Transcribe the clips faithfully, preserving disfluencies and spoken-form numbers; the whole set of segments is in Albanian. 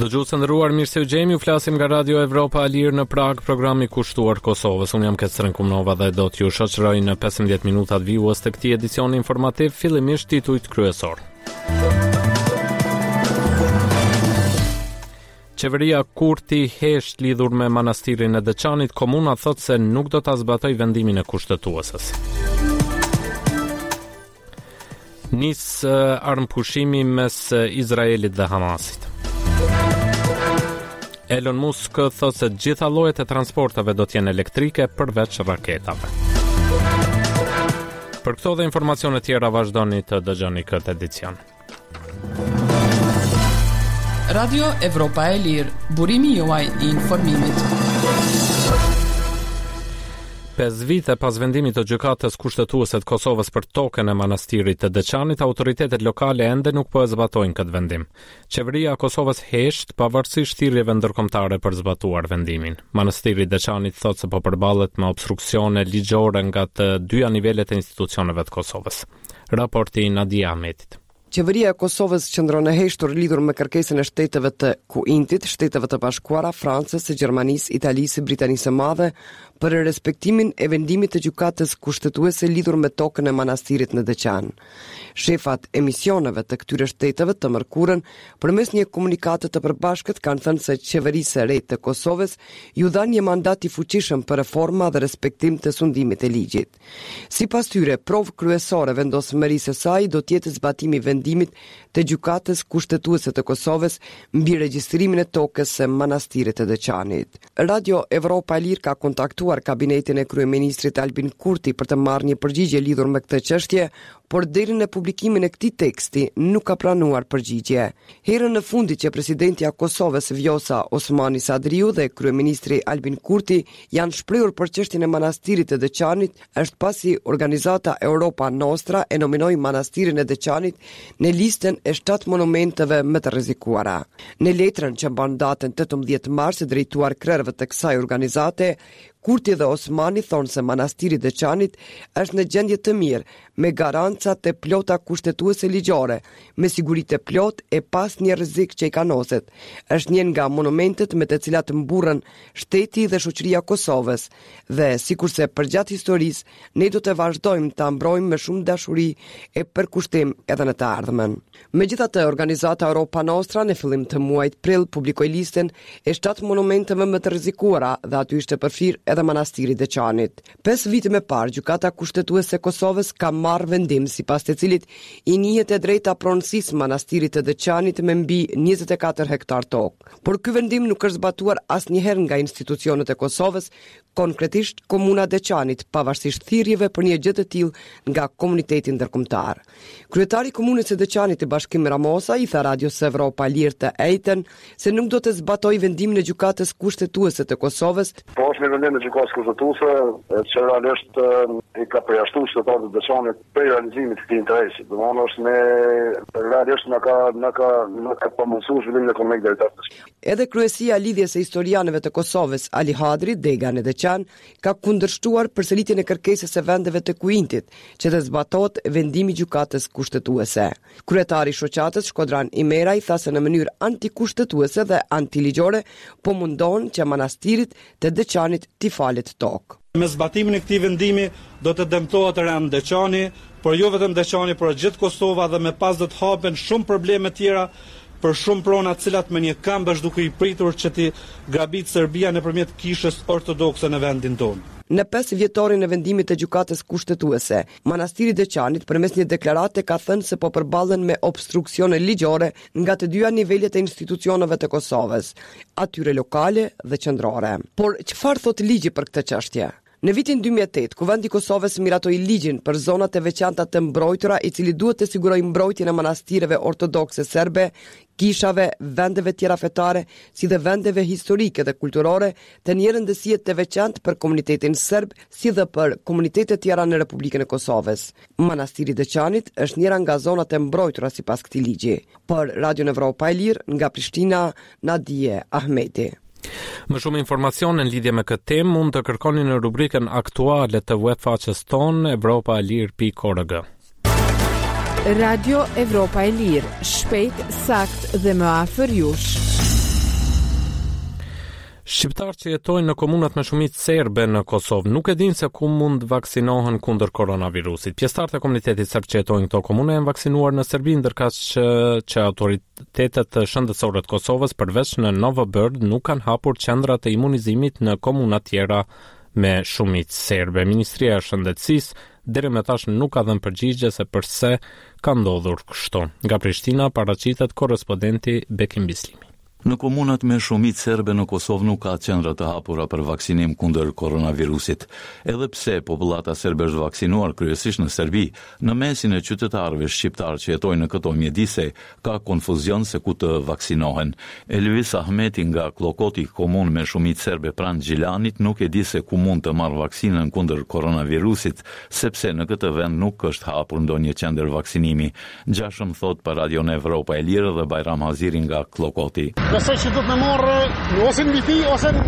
Dëgjues të nderuar, mirë se ju gjejmë. Ju flasim nga Radio Evropa e Lirë në Prag, programi kushtuar Kosovës. Unë jam Kestren Kumnova dhe do t'ju shoqëroj në pesëmbëdhjetë minutat vijues të këtij edicioni informativ, fillimisht titujt kryesor. Qeveria Kurti hesht lidhur me manastirin e Deçanit, komuna thotë se nuk do ta zbatojë vendimin e kushtetueses. Nis armëpushimi mes Izraelit dhe Hamasit. Elon Musk thotë se gjitha llojet e transporteve do të jenë elektrike përveç raketave. Për këto dhe informacione tjera vazhdoni të dëgjoni këtë edicion. Radio Evropa e Lirë, burimi juaj i informimit. Pesë vite pas vendimit të Gjykatës Kushtetuese të Kosovës për tokën e manastirit të Deçanit, autoritetet lokale ende nuk po e zbatojnë këtë vendim. Qeveria e Kosovës hesht pavarësisht thirrjeve ndërkombëtare për zbatuar vendimin. Manastiri i Deçanit thotë se po përballet me obstruksione ligjore nga të dyja nivelet e institucioneve të Kosovës. Raporti i Nadia Ahmetit. Qeveria e Kosovës qëndron e heshtur lidhur me kërkesën e shteteve të Kuintit, Shteteve të Bashkuara, Francës, Gjermanisë, Italisë, Britanisë së Madhe për respektimin e vendimit të Gjykatës Kushtetuese lidhur me tokën e manastirit në Deçan. Shefat e misioneve të këtyre shteteve të mërkurën përmes një komunikate të përbashkët kanë thënë se qeverisë së re të Kosovës ju dha një mandat i fuqishëm për reforma dhe respektim të sundimit të ligjit. Sipas tyre, provë kryesore vendosmërisë së saj do të jetë zbatimi i vendimit të Gjykatës Kushtetuese të Kosovës mbi regjistrimin e tokës së manastirit të Deçanit. Radio Evropa e Lirë ka kontaktuar kabinetin e kryeministrit Albin Kurti për të marrë një përgjigje lidhur me këtë çështje, por deri në publikimin e këtij teksti nuk ka pranuar përgjigje. Herën e fundit që presidentja e Kosovës Vjosa Osmani Sadriu dhe kryeministri Albin Kurti janë shprehur për çështjen e manastirit të Deçanit është pasi organizata Europa Nostra e nominoi manastirin e Deçanit në listën e shtatë monumenteve më të rrezikuara. Në letrën që mban datën tetëmbëdhjetë mars e drejtuar krerëve të kësaj organizate, Kurti dhe Osmani thonë se manastiri i Deçanit është në gjendje të mirë, me garanca të plota kushtetuese ligjore, me siguri të plotë e pas një rrezik që i kanoset. Është një nga monumentet me të cilat mburren shteti dhe shoqëria e Kosovës dhe sikurse përgjatë historisë, ne do të vazhdojmë ta mbrojmë me shumë dashuri e përkushtim edhe në të ardhmen. Megjithatë, organizata Europa Nostra në fillim të muajit prill publikoi listën e shtatë monumenteve më të rrezikuara dhe aty ishte përfshirë edhe manastiri i Deçanit. Pesë vite më parë, Gjykata Kushtetuese e Kosovës ka marrë vendim sipas të cilit i njihet e drejta pronësisë manastirit të Deçanit me mbi njëzet e katër hektar tokë. Por ky vendim nuk është zbatuar asnjëherë nga institucionet e Kosovës, konkretisht Komuna e Deçanit, pavarësisht thirrjeve për një gjë të tillë nga komuniteti ndërkombëtar. Kryetari i Komunës së Deçanit, Bashkim Ramosa, i tha Radios Evropa Lirë të enjten se nuk do të zbatojë vendimin e Gjykatës Kushtetuese të Kosovës. Po është një vendim i Gjykatës Kushtetuese që realisht i ka përjashtuar qytetarët e Deçanit prej realizimit të këtij interesi. Domethënë është me realisht na ka na ka na ka pamundësuar zhvillimin ekonomik deri tash. Edhe kryesia e Lidhjes së Historianëve të Kosovës, Ali Hadri, dega në Deçan, ka kundërshtuar përsëritjen e kërkesës së vendeve të Kuintit, që të zbatohet vendimi i Gjykatës Kushtetuese. Kryetari i shoqatës Shkodran Imeraj tha se në mënyrë antikushtetuese dhe antiligjore po mundon që manastirit të Deçanit t'i falet tokë. Me zbatimin e këtij vendimi do të dëmtohet rënd Deçani, por jo vetëm Deçani, por gjithë Kosova dhe me pas do të hapen shumë probleme tjera për shumë prona të cilat me një këmbë është duke i pritur që t'i grabit Serbia nëpërmjet kishës ortodokse në vendin tonë. Në pesë vjetorin e vendimit të Gjykatës Kushtetuese, Manastiri i Deçanit përmes një deklarate ka thënë se po përballen me obstruksione ligjore nga të dyja nivelet e institucioneve të Kosovës, atyre lokale dhe qendrore. Por çfarë thot ligji për këtë çështje? Në vitin dy mijë e tetë, Kuvendi i Kosovës miratoi ligjin për zonat e veçanta të mbrojtura, i cili duhet të sigurojë mbrojtjen e manastireve ortodokse serbe, kishave, vendeve tjera fetare, si dhe vendeve historike dhe kulturore të një rëndësie të veçantë për komunitetin serb, si dhe për komunitetet tjera në Republikën e Kosovës. Manastiri i Deçanit është njëra nga zonat e mbrojtura sipas këtij ligji. Për Radion Evropa e Lirë, nga Prishtina, Nadie Ahmeti. Më shumë informacione në lidhje me këtë temë mund të kërkoni në rubrikën aktuale të web faqes tonë evropa e lirë pikë org. Radio Evropa e Lirë, shpejt, sakt dhe më afër jush. Shqiptarë që jetojnë në komunat me shumicë serbe në Kosovë nuk e dinë se ku mund vaksinohen kundër koronavirusit. Pjesëtarët e komunitetit serb që jetojnë në këto komune janë vaksinuar në Serbi, ndërkaq që, që autoritetet shëndetësore të Kosovës përveç në Novobërd nuk kanë hapur qendra të imunizimit në komunat tjera me shumicë serbe. Ministria e Shëndetësisë deri më tash nuk ka dhënë përgjigje se përse ka ndodhur kështu. Nga Prishtina paraqitet korrespondenti Bekim Bislimi. Në komunat me shumicë serbe në Kosovë nuk ka qendra të hapura për vaksinim kundër koronavirusit. Edhe pse popullata serbe është vaksinuar kryesisht në Serbi, në mesin e qytetarëve shqiptarë që jetojnë në këto mjedise ka konfuzion se ku të vaksinohen. Elvis Ahmeti nga Klokoti, komunë me shumicë serbe pranë Gjilanit, nuk e di se ku mund të marrë vaksinën kundër koronavirusit, sepse në këtë vend nuk është hapur ndonjë qendër vaksinimi. Ngjashëm thot për Radion Evropa e Lirë dhe Bajram Haziri nga Klokoti. Besoj që do të më marrë ose në Viti ose në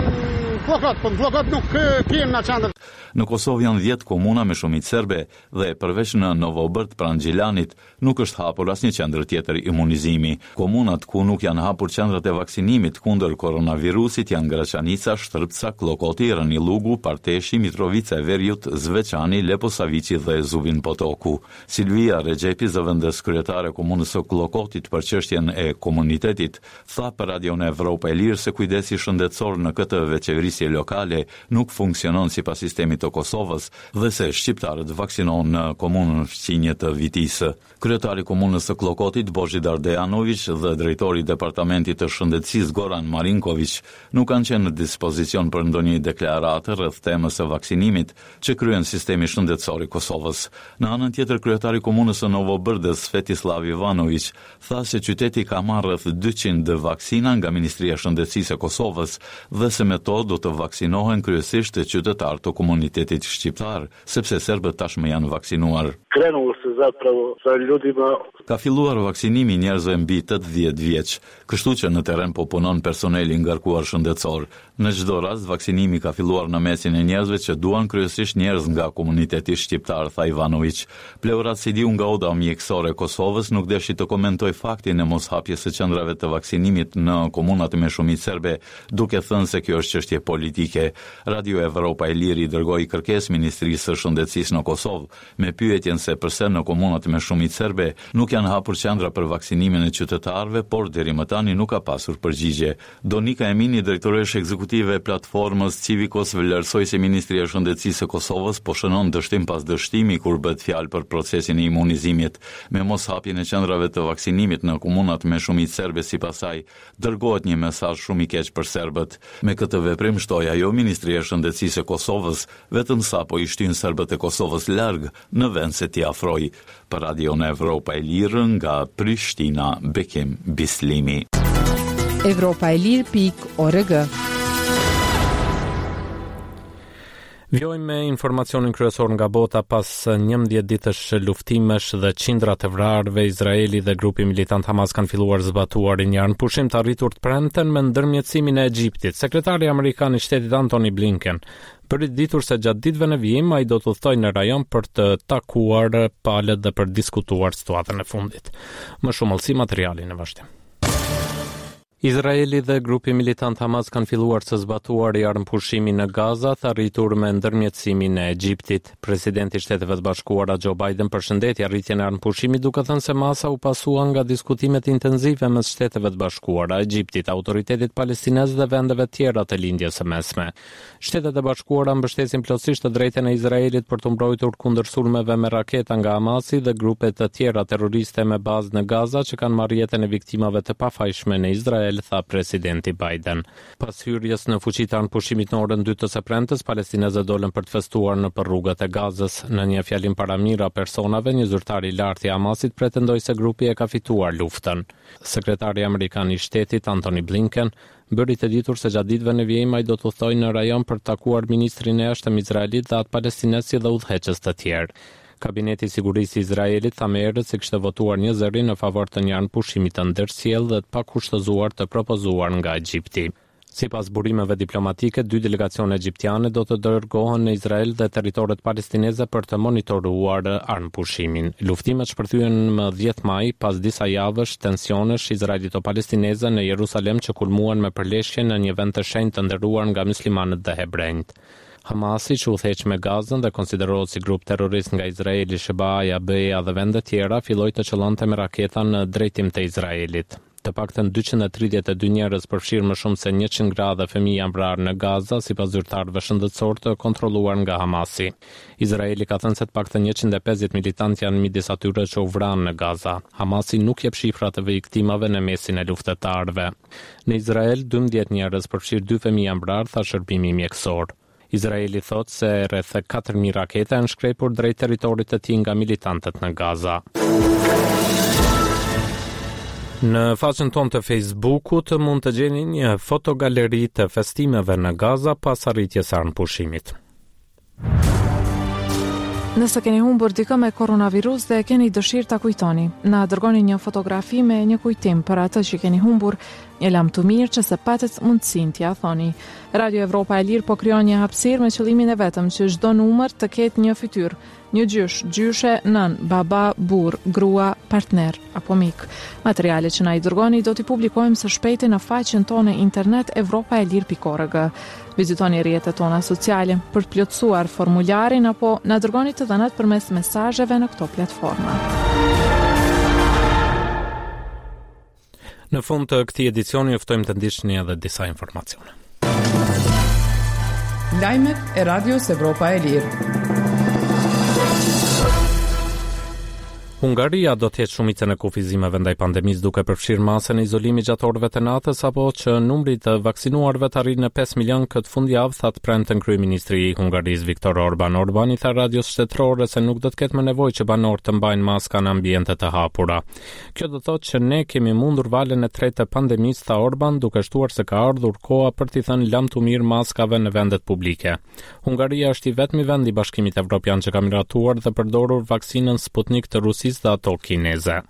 Kllokot, po në Kllokot nuk kem në qendër. Në Kosovë janë dhjetë komuna me shumicë serbe dhe përveç në Novobërd pranë Gjilanit nuk është hapur asnjë qendër tjetër imunizimi. Komunat ku nuk janë hapur qendrat e vaksinimit kundër koronavirusit janë Graçanica, Shtërpca, Klokoti, Ranillugu, Parteshi, Mitrovica e Veriut, Zveçani, Leposaviqi dhe Zubin Potoku. Silvia Rexhepi, zëvendës kryetare e komunës së Kllokotit për çështjen e komunitetit, tha për Radion Evropa e Lirë se kujdesi shëndetësor në këtë vetëqeverisje lokale nuk funksionon sipas sistemit të Kosovës dhe se shqiptarët vaksinohen në komunën fqinje të Vitisë. Kryetari i komunës së Kllokotit, Bozhidar Dejanoviq, dhe drejtori i Departamentit të Shëndetësisë Goran Marinkoviq nuk kanë qenë në dispozicion për ndonjë deklaratë rreth temës së vaksinimit që kryen sistemi shëndetësor i Kosovës. Në anën tjetër, kryetari i komunës së Novobërdës, Svetislav Ivanoviq, tha se qyteti ka marrë rreth dyqind vaksina nga Ministria e Shëndetësisë e Kosovës dhe se me to do të vaksinohen kryesisht qytetarë të komunitetit shqiptar, sepse serbët tashmë janë vaksinuar. Krenulo se zapravo sa ljudima. Ka filluar vaksinimi i njerëzve mbi tetëdhjetë vjeç, kështu që në terren po punon personeli i ngarkuar shëndetësor. Në çdo rast, vaksinimi ka filluar në mesin e njerëzve që duan kryesisht njerëz nga komuniteti shqiptar, tha Ivanoviq. Pleurat Sidiu nga Oda Mjekësore e Kosovës nuk deshi të komentojë faktin e mos hapjes së qendrave të vaksinimit në komunat me shumicë serbe, duke thënë se kjo është çështje politike. Radio Evropa e Lirë i dërgoi kërkesë Ministrisë së Shëndetësisë në Kosovë me pyetjen se përse në komunat me shumicë serbe nuk janë hapur qendra për vaksinimin e qytetarëve, por deri më tani nuk ka pasur përgjigje. Donika Emini, drejtoreshë ekzekutive e platformës Civicos, vlerësoi se Ministria e Shëndetësisë së Kosovës po shënon dështim pas dështimi kur bëhet fjalë për procesin e imunizimit. Me mos hapjen e qendrave të vaksinimit në komunat me shumicë serbe, sipas saj, dërgohet një mesazh shumë i keq për serbët. Me këtë veprim, shtoi ajo, Ministria e Shëndetësisë e Kosovës vetëm sa po i shtyn serbët e Kosovës larg në vend se t'i afroj. Për Radion Evropa e Lirë nga Prishtina, Bekim Bislimi. Evropa e Lirë pikë org. Vijojmë me informacionin kryesor nga bota. Pas njëmbëdhjetë ditësh luftimesh dhe qindra të vrarëve, Izraeli dhe grupi militant Hamas kanë filluar zbatuar një armëpushim të arritur të premten me ndërmjetësimin e Egjiptit. Sekretari amerikan i shtetit Antony Blinken bëri të ditur se gjatë ditëve në vijim ai do të udhtojë në rajon për të takuar palët dhe për të diskutuar situatën e fundit. Më shumë hollësi materiali në vazhdim. Izraeli dhe grupi militant Hamas kanë filluar së zbatuari armëpushimin në Gaza, të arritur me ndërmjetësimin e Egjiptit. Presidenti i Shteteve të Bashkuara Joe Biden përshëndeti arritjen e armëpushimit duke thënë se masa u pasua nga diskutimet intensive mes Shteteve të Bashkuara, Egjiptit, autoritetit palestinez dhe vendeve tjera të Lindjes së Mesme. Shtetet e Bashkuara mbështesin plotësisht të drejtën e Izraelit për të mbrojtur kundër sulmeve me raketa nga Hamasi dhe grupe të tjera terroriste me bazë në Gaza që kanë marrë jetën e viktimave të pafajshme në Izrael, tha presidenti Biden. Pas hyrjes në fuqi të armëpushimit në orën dy të së premtes, palestinezët dolën për të festuar në për rrugët e Gazës. Në një fjalim para mijëra personave, një zyrtar i lartë i Hamasit pretendoi se grupi e ka fituar luftën. Sekretari amerikan i shtetit Antony Blinken bëri të ditur se gjatë ditëve në vijim ai do të udhtojë në rajon për të takuar ministrin e jashtëm izraelit dhe atë palestinez si dhe udhëheqës të tjerë. Kabineti i Sigurisë i Izraelit tha më herët se kishte votuar një zëri në favor të një armëpushimi të ndërsjellë dhe të pakushtëzuar të propozuar nga Egjipti. Sipas burimeve diplomatike, dy delegacione egjiptiane do të dërgohen në Izrael dhe territoret palestineze për të monitoruar armëpushimin. Luftimet shpërthyen më dhjetë maj pas disa javësh tensionesh izraelito-palestineze në Jerusalem që kulmuan me përleshje në një vend të shenjtë të nderuar nga myslimanët dhe hebrenjtë. Hamasi, që udhëheq me Gazën dhe konsiderohet si grup terrorist nga Izraeli, S H B A-ja, B E-ja dhe vende tjera, filloi të qëllonte me raketa në drejtim të Izraelit. Të paktën dyqind e tridhjetë e dy njerëz, përfshirë më shumë se njëqind gra dhe fëmijë, janë vrarë në Gaza, sipas zyrtarëve shëndetësor të kontrolluar nga Hamasi. Izraeli ka thënë se të paktën njëqind e pesëdhjetë militantë janë midis atyre që u vranë në Gaza. Hamasi nuk jep shifra të viktimave në mesin e luftëtarëve. Në Izrael, dymbëdhjetë njerëz, përfshirë dy fëmijë, janë vrarë, tha shërbimi mjekësor. Izraeli thotë se rreth katër mijë raketa janë shkrepur drejt territorit të tij nga militantët në Gaza. Në faqen tonë të Facebookut mund të gjeni një fotogaleri të festimeve në Gaza pas arritjes së armëpushimit. Nëse keni humbur dikë me koronavirus dhe keni dëshirë ta kujtoni, na dërgoni një fotografi me një kujtim për atë që keni humbur, një lamtumirë që s'e patët mundësinë t'ia thoni. Radio Evropa e Lirë po krijon një hapësirë me qëllimin e vetëm që çdo numër të ketë një fytyrë, një gjysh, gjyshe, nën, baba, burr, grua, partner apo mik. Materialet që na i dërgoni do t'i publikojmë së shpejti në faqen tonë internet evropaelire pikë org. Vizitoni rrjetet tona sociale për të plotësuar formularin apo na dërgoni të dhënat përmes mesazheve në këto platforma. Në fund të këtij edicioni ju ftojmë të ndiqni edhe disa informacione. Lajmet e Radios Evropa e Lirë. Hungaria do të heqë shumicën e kufizimeve ndaj pandemisë, duke përfshirë masën e izolimit gjatë orëve të natës apo që numri i të vaksinuarve të arrijë në pesë milion këtë fundjavë, tha të premten kryeministri i Hungarisë Viktor Orban. Orban i tha radios shtetërore se nuk do të ketë më nevojë që banorët të mbajnë maska në ambiente të hapura. "Kjo do thotë që ne kemi mundur valën e tretë të pandemisë", tha Orban, duke shtuar se ka ardhur koha për t'i thënë lamtumirë maskave në vendet publike. Hungaria është i vetmi vend i Bashkimit Evropian që ka miratuar dhe përdorur vaksinën Sputnik të Rusisë dhe ato kineze.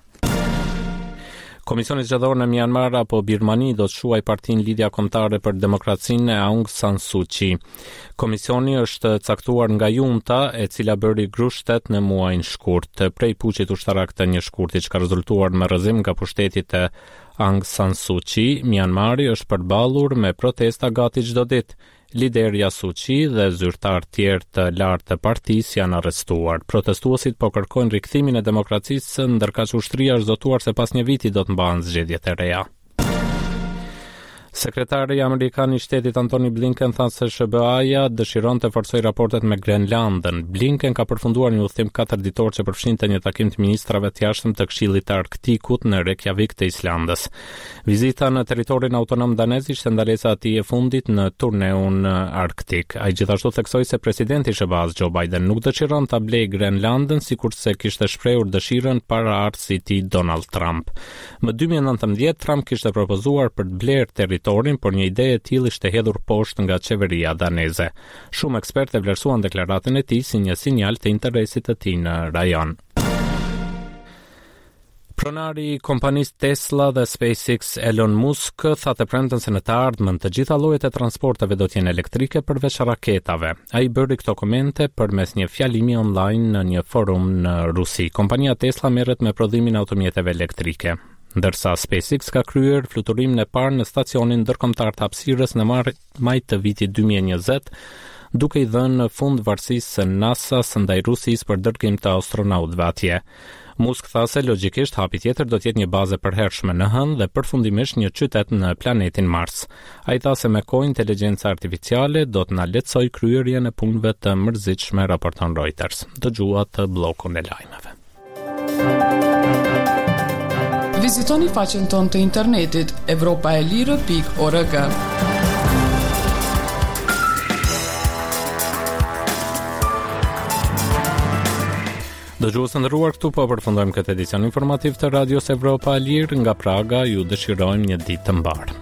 Komisioni Zgjedhor në Myanmar apo Birmani do të shuaj partinë Lidhja Kombëtare për Demokracinë e Aung San Suu Kyi. Komisioni është caktuar nga junta, e cila bëri grusht në muajin shkurt. Prej puçit ushtarak të një shkurti që ka rezultuar me rrëzim nga pushteti të Aung San Suu Kyi, Myanmari është përballur me protesta gati çdo ditë. Liderja Suu Kyi dhe zyrtar tjerë të lartë të partisë janë arrestuar. Protestuesit po kërkojnë rikthimin e demokracisë, ndërkaq ushtria është zotuar se pas një viti do të mbahen zgjedhjet e reja. Sekretari amerikan i shtetit Antony Blinken tha se S H B A-ja dëshiron të forcojë raportet me Grenlandën. Blinken ka përfunduar një udhëtim katër ditor që përfshinte një takim të ministrave të jashtëm të Këshillit të Arktikut në Reykjavik të Islandës. Vizita në territorin autonom danez ishte ndalesa e tij e fundit në turneun Arktik. Ai gjithashtu theksoi se presidenti i S H B A-s Joe Biden nuk dëshiron ta blejë Grenlandën, sikurse kishte shprehur dëshirën paraardhësi i tij Donald Trump. Më dy mijë e nëntëmbëdhjetë Trump kishte propozuar për të blerë territorin, por një ide e tillë ishte hedhur poshtë nga qeveria daneze. Shumë ekspertë e vlerësuan deklaratën e tij si një sinjal të interesit të tij në rajon. Pronari i kompanisë Tesla dhe SpaceX Elon Musk tha të premten se në të ardhmen të gjitha llojet e transporteve do të jenë elektrike, përveç raketave. Ai bëri këto komente përmes një fjalimi online në një forum në Rusi. Kompania Tesla merret me prodhimin e automjeteve elektrike, ndërsa SpaceX ka kryer fluturimin e parë në stacionin ndërkombëtar të hapësirës në maj të vitit dy mijë e njëzet, duke i dhënë fund varësisë së NASA-s ndaj Rusisë për dërgim të astronautëve atje. Musk tha se logjikisht hapi tjetër do të jetë një bazë e përhershme në Hënë dhe përfundimisht një qytet në planetin Mars. Ai tha se me kohë inteligjenca artificiale do të na lehtësojë kryerjen e punëve të mërzitshme, raporton Reuters. Dëgjuat bllokun e lajmeve. Vizitoni faqen tonë të internetit evropaelire pikë org. Dëgjues të nderuar, këtu po përfundojmë këtë edicion informativ të Radios Evropa e Lirë nga Praga. Ju dëshirojmë një ditë të mbarë.